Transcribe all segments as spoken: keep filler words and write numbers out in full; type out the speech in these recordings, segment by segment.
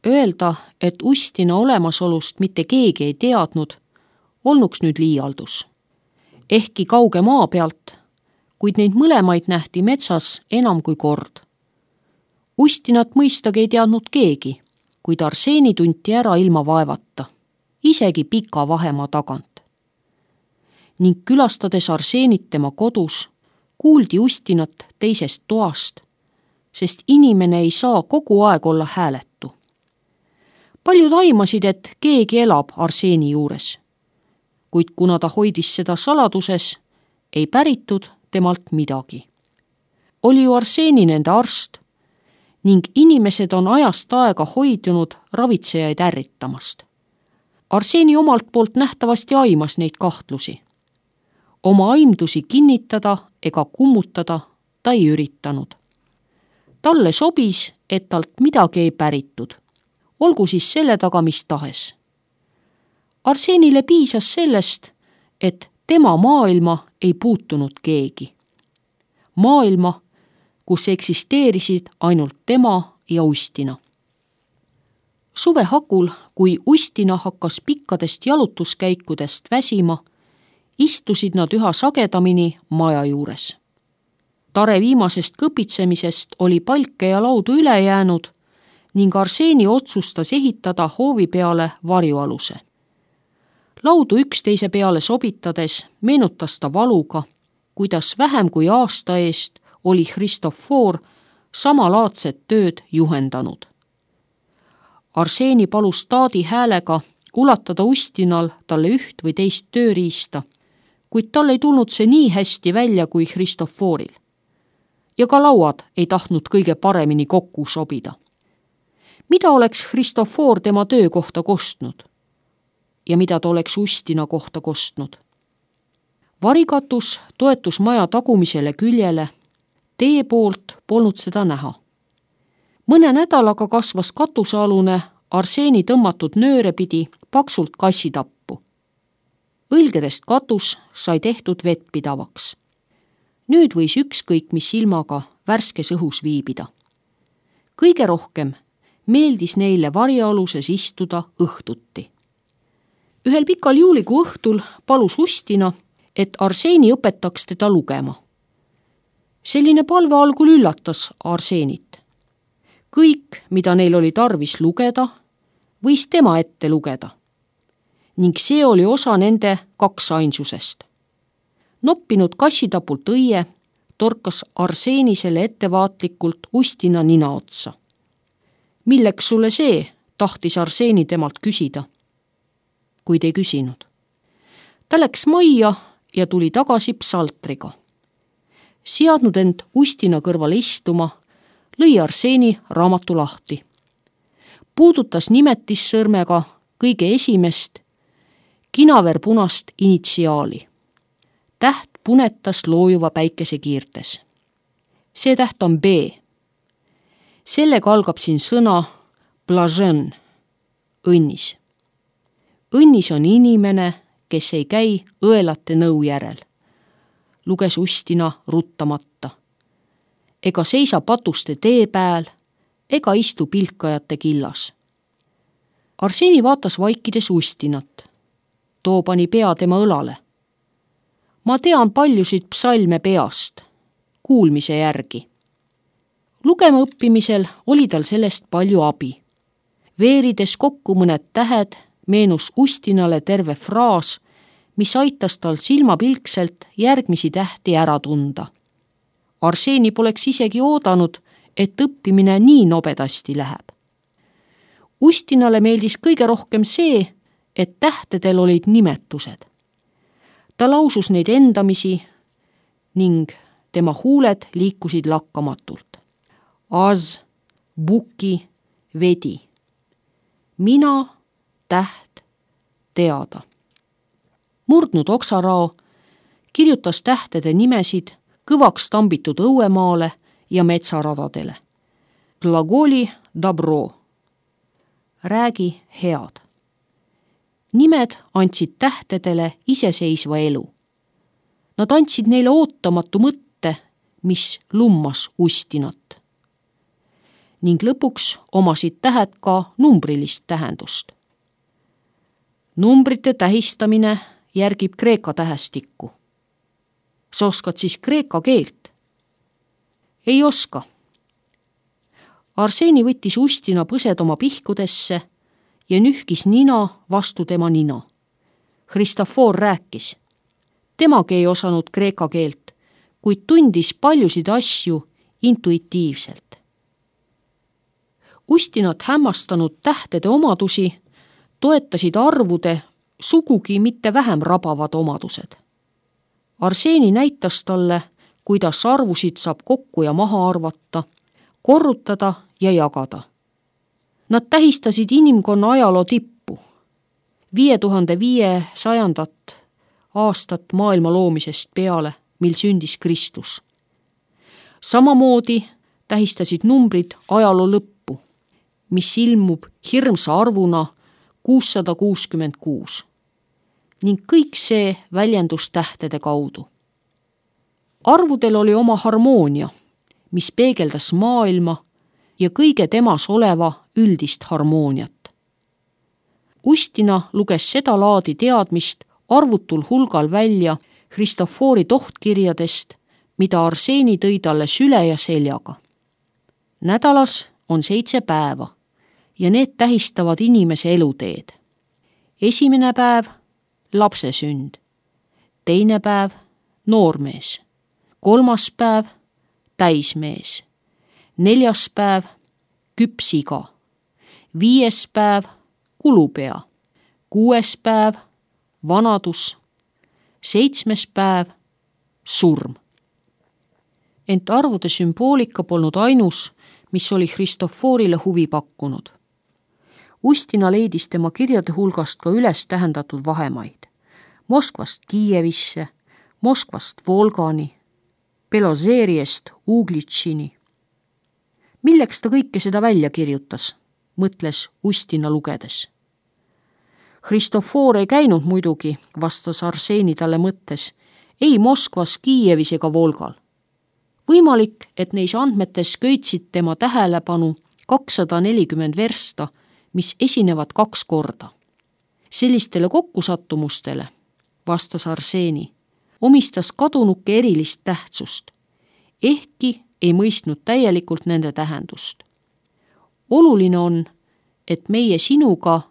Öelda, et Ustina olemasolust mitte keegi ei teadnud, olnuks nüüd liialdus. Ehkki kauge maa pealt, kuid neid mõlemaid nähti metsas enam kui kord. Ustinat mõistagi ei teadnud keegi, kuid Arseeni tunti ära ilma vaevata, isegi pika vahemaa tagant. Ning külastades Arseenit tema kodus, kuuldi Ustinat teisest toast, sest inimene ei saa kogu aeg olla hääletu. Paljud aimasid, et keegi elab Arseeni juures, kuid kuna ta hoidis seda saladuses, ei päritud temalt midagi. Oli ju Arseeni nende arst ning inimesed on ajast aega hoidunud ravitsejaid ärritamast. Arseeni omalt poolt nähtavasti aimas neid kahtlusi. Oma aimdusi kinnitada ega kummutada ta ei üritanud. Talle sobis, et talt midagi ei päritud, olgu siis selle taga mis tahes. Arseenile piisas sellest, et tema maailma ei puutunud keegi. Maailma, kus eksisteerisid ainult tema ja Ustina. Suve hakul, kui Ustina hakkas pikkadest jalutuskäikudest väsima, istusid nad üha sagedamini maja juures. Tare viimasest kõpitsemisest oli palke ja laudu üle jäänud ning Arseeni otsustas ehitada hoovi peale varjualuse. Laudu üksteise peale sobitades meenutas ta valuga, kuidas vähem kui aasta eest oli Christofor samalaadset tööd juhendanud. Arseeni palus taadi häälega ulatada Ustinal talle üht või teist tööriista, kuid tal ei tulnud see nii hästi välja kui Christoforil. Ja ka lauad ei tahtnud kõige paremini kokku sobida. Mida oleks Christofor tema töö kohta kostnud? Ja mida ta oleks Ustina kohta kostnud? Varikatus toetus maja tagumisele küljele, tee poolt polnud seda näha. Mõne nädalaga kasvas katusealune Arseeni tõmmatud nööre pidi paksult kassitappu. Õlgedest katus sai tehtud vettpidavaks. Nüüd võis ükskõik mis silmaga värskes õhus viibida. Kõige rohkem meeldis neile varjaaluses istuda õhtuti. Ühel pikal juulikuu õhtul palus Ustina, et Arseeni õpetaks teda lugema. Selline palve algul üllatas Arseenit. Kõik, mida neil oli tarvis lugeda, võis tema ette lugeda. Ning see oli osa nende kaksainsusest. Noppinud kassitapult õie torkas Arseeni selle ettevaatlikult Ustina nina otsa. Milleks sulle see, tahtis Arseeni temalt küsida, kuid ei küsinud. Ta läks majja ja tuli tagasi psaltriga. Seadnud end Ustina kõrval istuma, lõi Arseeni raamatu lahti. Puudutas nimetissõrmega kõige esimest kinaverpunast initsiaali. Täht punetas loojuva päikese kiirtes. See täht on B. Sellega algab siin sõna blažen, õnnis. Õnnis on inimene, kes ei käi õelate nõu järel, luges Ustina ruttamata. Ega seisa patuste tee pääl, ega istu pilkajate killas. Arseeni vaatas vaikides Ustinat. Too pani pea tema õlale. Ma tean paljusid psalme peast, kuulmise järgi. Lugema õppimisel oli tal sellest palju abi. Veerides kokku mõned tähed, meenus Ustinale terve fraas, mis aitas tal silmapilkselt järgmisi tähti ära tunda. Arseeni poleks isegi oodanud, et õppimine nii nobedasti läheb. Ustinale meeldis kõige rohkem see, et tähtedel olid nimetused. Ta lausus neid endamisi ning tema huuled liikusid lakkamatult. Az, buki, vedi. Mina, täht, teada. Murdnud oksarao kirjutas tähtede nimesid kõvaks tambitud õuemaale ja metsaradadele. Glagoli dobro. Räägi head. Nimed andsid tähtedele iseseisva elu. Nad andsid neile ootamatu mõtte, mis lummas Ustinat. ning lõpuks omasid tähed ka numbrilist tähendust. Numbrite tähistamine järgib kreeka tähestikku. Sa oskad siis kreeka keelt? Ei oska. Arseeni võttis Ustina põsed oma pihkudesse ja nühkis nina vastu tema nina. Hristofor rääkis. Temagi ei osanud kreeka keelt, kuid tundis paljusid asju intuitiivselt. Ustinat hämmastanud tähtede omadusi toetasid arvude sugugi mitte vähem rabavad omadused. Arseeni näitas talle, kuidas arvusid saab kokku ja maha arvata, korrutada ja jagada. Nad tähistasid inimkonna ajaloo tippu, viie tuhande viiesajandat aastat maailma loomisest peale, mil sündis Kristus. Samamoodi tähistasid numbrid ajaloo lõppu, mis ilmub hirmsa arvuna kuussada kuuskümmend kuus. Ning kõik see väljendus tähtede kaudu. Arvudel oli oma harmoonia, mis peegeldas maailma ja kõige temas oleva üldist harmooniat. Ustina luges seda laadi teadmist arvutul hulgal välja Hristofori tohtkirjadest, mida Arseeni tõi talle süle ja seljaga. Nädalas on seitse päeva ja need tähistavad inimese eluteed. Esimene päev lapse sünd, teine päev noormees, kolmas päev täismees, neljas päev küps iga, viies päev kulupea, kuues päev vanadus, seitsmes päev surm. Ent arvude sümboolika polnud ainus, mis oli Hristoforile huvi pakkunud. Ustina leidis tema kirjade hulgast ka üles tähendatud vahemaid. Moskvast Kiievisse, Moskvast Volgani, Belozeeriest Uglitšini. Milleks ta kõike seda välja kirjutas, mõtles Ustina lugedes. Hristofor ei käinud muidugi, vastas Arseeni talle mõttes, ei Moskvas, Kiievis ega Volgal. Võimalik, et neis andmetes köitsid tema tähelepanu kakssada nelikümmend versta, mis esinevad kaks korda. Sellistele kokkusattumustele, vastas Arseeni, omistas kadunuke erilist tähtsust, ehkki ei mõistnud täielikult nende tähendust. Oluline on, et meie sinuga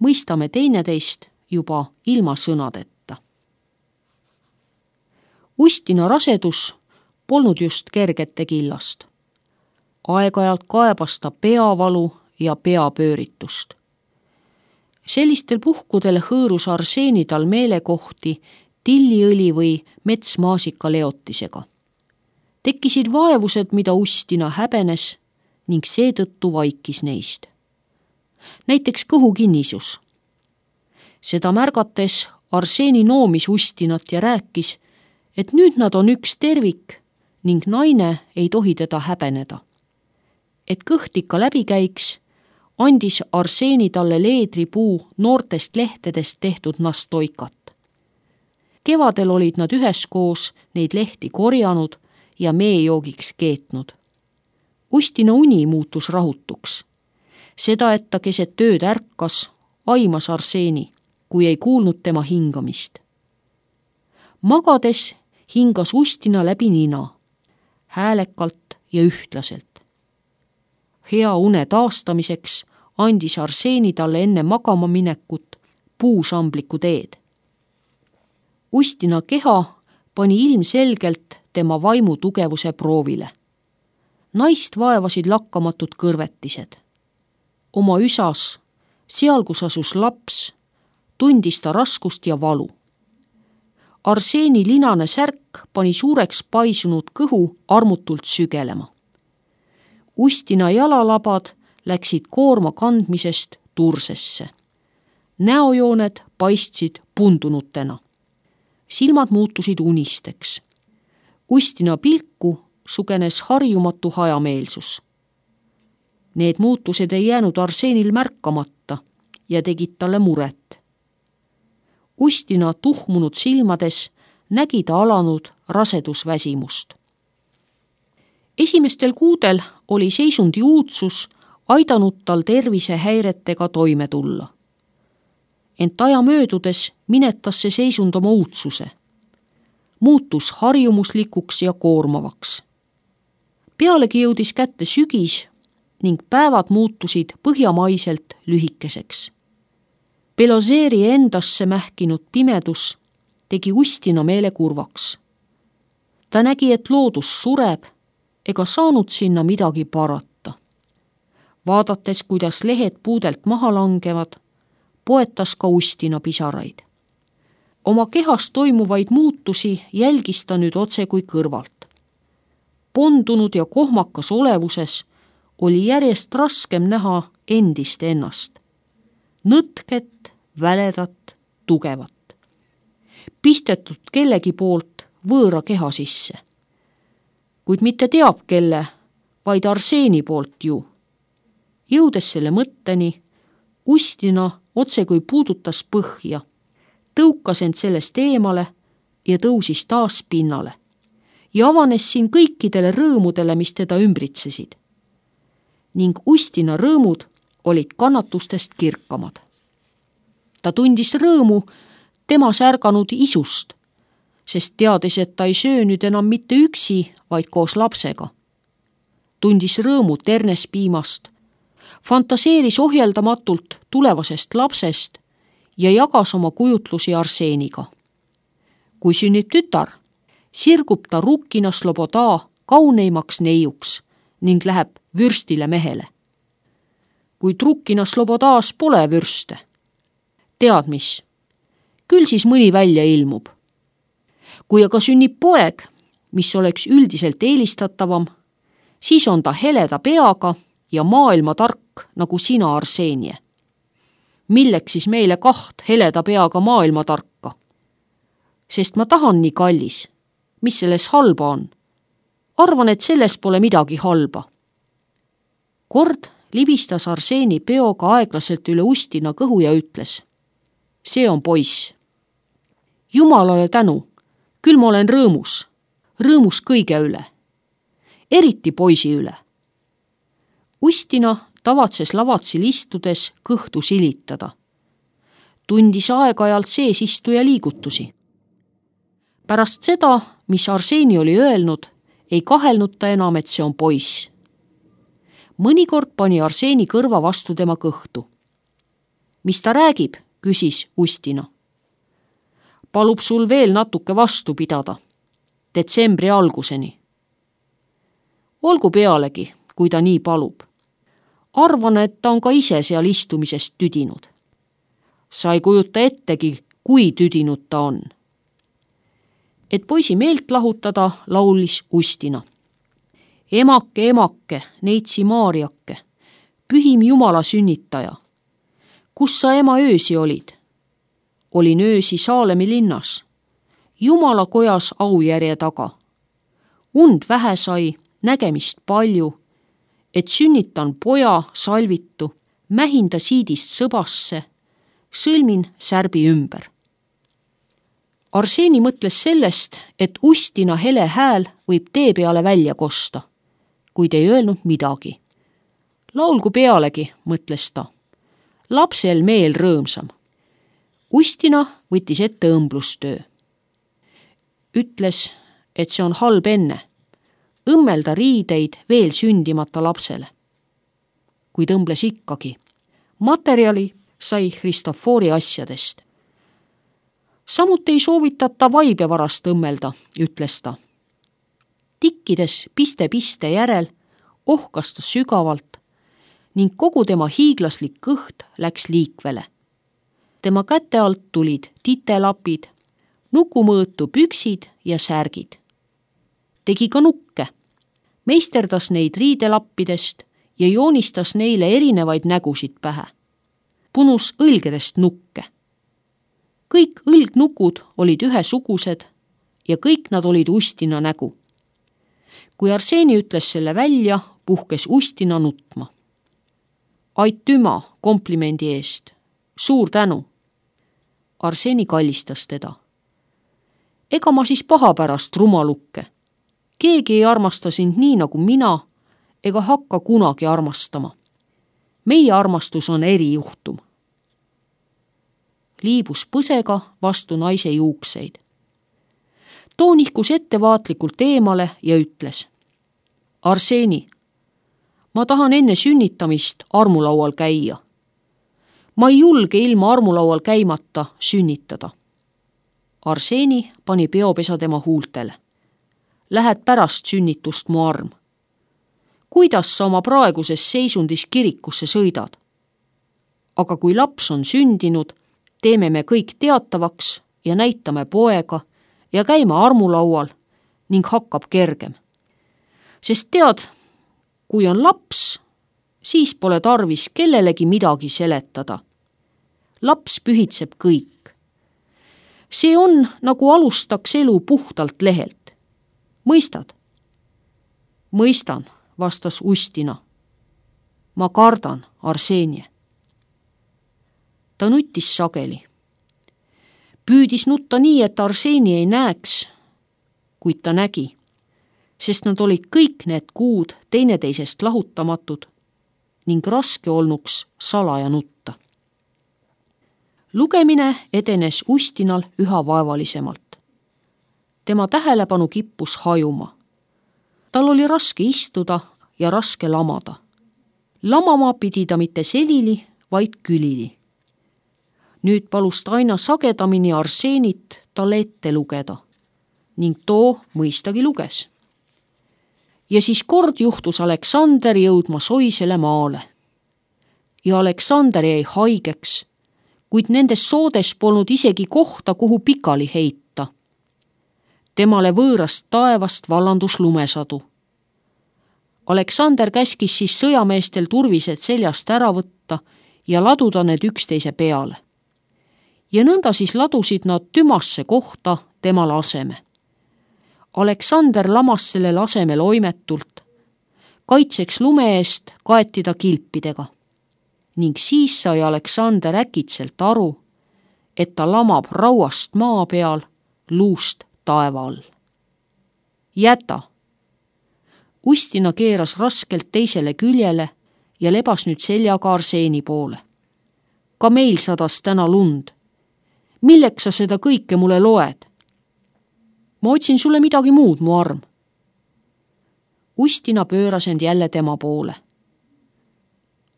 mõistame teineteist juba ilma sõnadeta. Ustina rasedus polnud just kergete killast. Aeg-ajalt kaebas ta peavalu ja peapööritust. Sellistel puhkudel hõõrus Arseeni tal meelekohti tilliõli või metsmaasika leotisega. Tekkisid vaevused, mida Ustina häbenes ning seetõttu vaikis neist. Näiteks kõhukinnisus. Seda märgates Arseeni noomis Ustinat ja rääkis, et nüüd nad on üks tervik ning naine ei tohi teda häbeneda. Et kõht ikka läbi käiks, andis Arseeni talle leedripuu noortest lehtedest tehtud nastoikat. Kevadel olid nad üheskoos neid lehti korjanud ja meejoogiks keetnud. Ustina uni muutus rahutuks. Seda, et ta keset tööd ärkas, aimas Arseeni, kui ei kuulnud tema hingamist. Magades hingas Ustina läbi nina, häälekalt ja ühtlaselt. Hea une taastamiseks andis Arseeni talle enne magama minekut puusambliku teed. Ustina keha pani ilmselgelt tema vaimu tugevuse proovile. Naist vaevasid lakkamatud kõrvetised. Oma üsas, seal kus asus laps, tundis ta raskust ja valu. Arseeni linane särk pani suureks paisunud kõhu armutult sügelema. Ustina jalalabad läksid koorma kandmisest tursesse. Näojooned paistsid pundunutena. Silmad muutusid unisteks. Ustina pilku sugenes harjumatu hajameelsus. Need muutused ei jäänud Arseenil märkamata ja tegid talle muret. Ustina tuhmunud silmades nägi ta alanud rasedusväsimust. Esimestel kuudel oli seisundi uudsus aidanud tal tervisehäiretega toime tulla. Ent aja möödudes minetas see seisund oma uudsuse. Muutus harjumuslikuks ja koormavaks. Pealegi jõudis kätte sügis ning päevad muutusid põhjamaiselt lühikeseks. Belozeeri endasse mähkinud pimedus tegi Ustina meele kurvaks. Ta nägi, et loodus sureb ega saanud sinna midagi parata. Vaadates, kuidas lehed puudelt maha langevad, poetas ka Ustina pisaraid. Oma kehas toimuvaid muutusi jälgis ta nüüd otse kui kõrvalt. Pondunud ja kohmakas olevuses oli järjest raskem näha endist ennast. Nõtket, väledat, tugevat. Pistetud kellegi poolt võõra keha sisse. Kuid mitte teab kelle, vaid Arseeni poolt ju. Jõudes selle mõtteni, Ustina otse kui puudutas põhja, tõukas end sellest eemale ja tõusis taas pinnale ja avanes siin kõikidele rõõmudele, mis teda ümbritsesid. Ning Ustina rõõmud olid kannatustest kirkamad. Ta tundis rõõmu temas ärganud isust, sest teadis, et ta ei söö nüüd enam mitte üksi, vaid koos lapsega. Tundis rõõmu ternespiimast, fantaseeris ohjeldamatult tulevasest lapsest ja jagas oma kujutlusi Arseeniga. Kui sünnib tütar, sirgub ta Rukkina Sloboda kauneimaks neiuks ning läheb vürstile mehele. Kuid Rukkina Slobodas pole vürste. Tead mis? Küll siis mõni välja ilmub. Kui aga sünnib poeg, mis oleks üldiselt eelistatavam, siis on ta heleda peaga ja maailma tark nagu sina, Arseenie. Milleks siis meile kaht heleda peaga maailma tarka? Sest ma tahan nii kallis. Mis selles halba on? Arvan, et selles pole midagi halba. Kord libistas Arseeni peoga aeglaselt üle Ustina kõhu ja ütles: see on poiss. Jumalale tänu, küll ma olen rõõmus, rõõmus kõige üle, eriti poisi üle. Ustina tavatses lavatsil istudes kõhtu silitada. Tundis aeg-ajalt seesistuja liigutusi. Pärast seda, mis Arseeni oli öelnud, ei kahelnud ta enam, et see on poiss. Mõnikord pani Arseeni kõrva vastu tema kõhtu. Mis ta räägib, küsis Ustina. Palub sul veel natuke vastu pidada, detsembri alguseni. Olgu pealegi, kui ta nii palub. Arvan, et ta on ka ise seal istumisest tüdinud. Sa ei kujuta ettegi, kui tüdinud ta on. Et poisi meelt lahutada, laulis Ustina. Emake, emake, neitsi Maarjake, pühim Jumala sünnitaja. Kus sa ema öösi olid? Olin öösi Saalemi linnas, Jumala kojas aujärje taga. Und vähe sai, nägemist palju, et sünnitan poja salvitu, mähinda siidist sõbasse, sõlmin särbi ümber. Arseeni mõtles sellest, et Ustina hele hääl võib tee peale välja kosta, kuid ei öelnud midagi. Laulgu pealegi, mõtles ta. Lapsel meel rõõmsam. Ustina võttis ette õmblustöö. Ütles, et see on halb enne. Õmmelda riideid veel sündimata lapsele. Kuid õmbles ikkagi. Materjali sai Kristofori asjadest. Samuti ei soovitata vaibe varast õmmelda, ütles ta. Tikkides piste-piste järel ohkas ta sügavalt ning kogu tema hiiglaslik kõht läks liikvele. Tema käte alt tulid titelapid, nukumõõtu püksid ja särgid. Tegi ka nukke, meisterdas neid riidelappidest ja joonistas neile erinevaid nägusid pähe. Punus õlgedest nukke. Kõik õlgnukud olid ühesugused ja kõik nad olid Ustina nägu. Kui Arseeni ütles selle välja, puhkes Ustina nutma. Aitüma komplimendi eest. Suur tänu. Arseeni kallistas teda. Ega ma siis paha pärast rumalukke. keegi ei armasta sind nii nagu mina ega hakka kunagi armastama. Meie armastus on erijuhtum. Liibus põsega vastu naise juukseid. Too nihkus ettevaatlikult eemale ja ütles: Arseni, ma tahan enne sünnitamist armulaual käia. Ma ei julge ilma armulaual käimata sünnitada. Arseni pani peopesa tema huultele. Lähed pärast sünnitust mu arm. Kuidas sa oma praeguses seisundis kirikusse sõidad? Aga kui laps on sündinud, teeme me kõik teatavaks ja näitame poega ja käime armulaual ning hakkab kergem. Sest tead, kui on laps, siis pole tarvis kellelegi midagi seletada. Laps pühitseb kõik. See on, nagu alustaks elu puhtalt lehelt. Mõistad? Mõistan, vastas Ustina. Ma kardan, Arsenie. Ta nuttis sageli. Püüdis nutta nii, et Arseni ei näeks, kuid ta nägi, sest nad olid kõik need kuud teineteisest lahutamatud ning raske olnuks salaja nutta. Lugemine edenes Ustinal üha vaevalisemalt. Tema tähelepanu kippus hajuma. Tal oli raske istuda ja raske lamada. Lamama pidi ta mitte selili, vaid külili. Nüüd palus ta aina sagedamini Arsenit talle ette lugeda ning too mõistagi luges. Ja siis kord juhtus Aleksander jõudma soisele maale. Ja Aleksander jäi haigeks, kuid nendes soodes polnud isegi kohta, kuhu pikali heita. Temale võõrast taevast vallandus lumesadu. Aleksander käskis siis sõjameestel turvised seljast ära võtta ja laduda need üksteise peale. Ja nõnda siis ladusid nad tümasse kohta temale aseme. Aleksander lamas sellel asemel oimetult, kaitseks lume eest kaeti ta kilpidega. Ning siis sai Aleksander äkitselt aru, et ta lamab rauast maa peal, luust taeva all. Jäta! Ustina keeras raskelt teisele küljele ja lebas nüüd seljaga Arseni poole. Ka meil sadas täna lund. Milleks sa seda kõike mulle loed? Ma otsin sulle midagi muud, mu arm. Ustina pööras end jälle tema poole.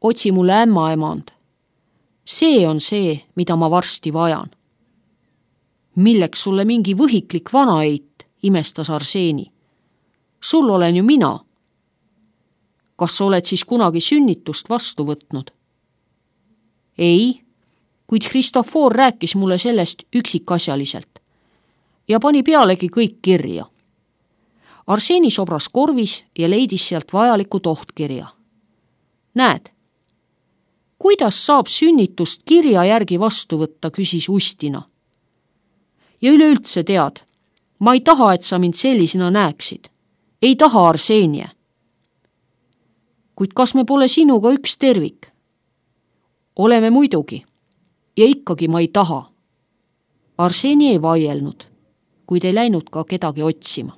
Otsi mulle ämmaemand. See on see, mida ma varsti vajan. Milleks sulle mingi võhiklik vanaeit, imestas Arseni. Sul olen ju mina. Kas sa oled siis kunagi sünnitust vastu võtnud? Ei, kuid Kristofor rääkis mulle sellest üksikasjaliselt ja pani pealegi kõik kirja. Arseni sobras korvis ja leidis sealt vajaliku tohtkirja. Näed, kuidas saab sünnitust kirja järgi vastu võtta, küsis Ustina. Ja üleüldse tead, ma ei taha, et sa mind sellisena näeksid. Ei taha, Arsenie. Kuid kas me pole sinuga üks tervik? Oleme muidugi. Ja ikkagi ma ei taha. Arseni ei vaielnud, kuid ei läinud ka kedagi otsima.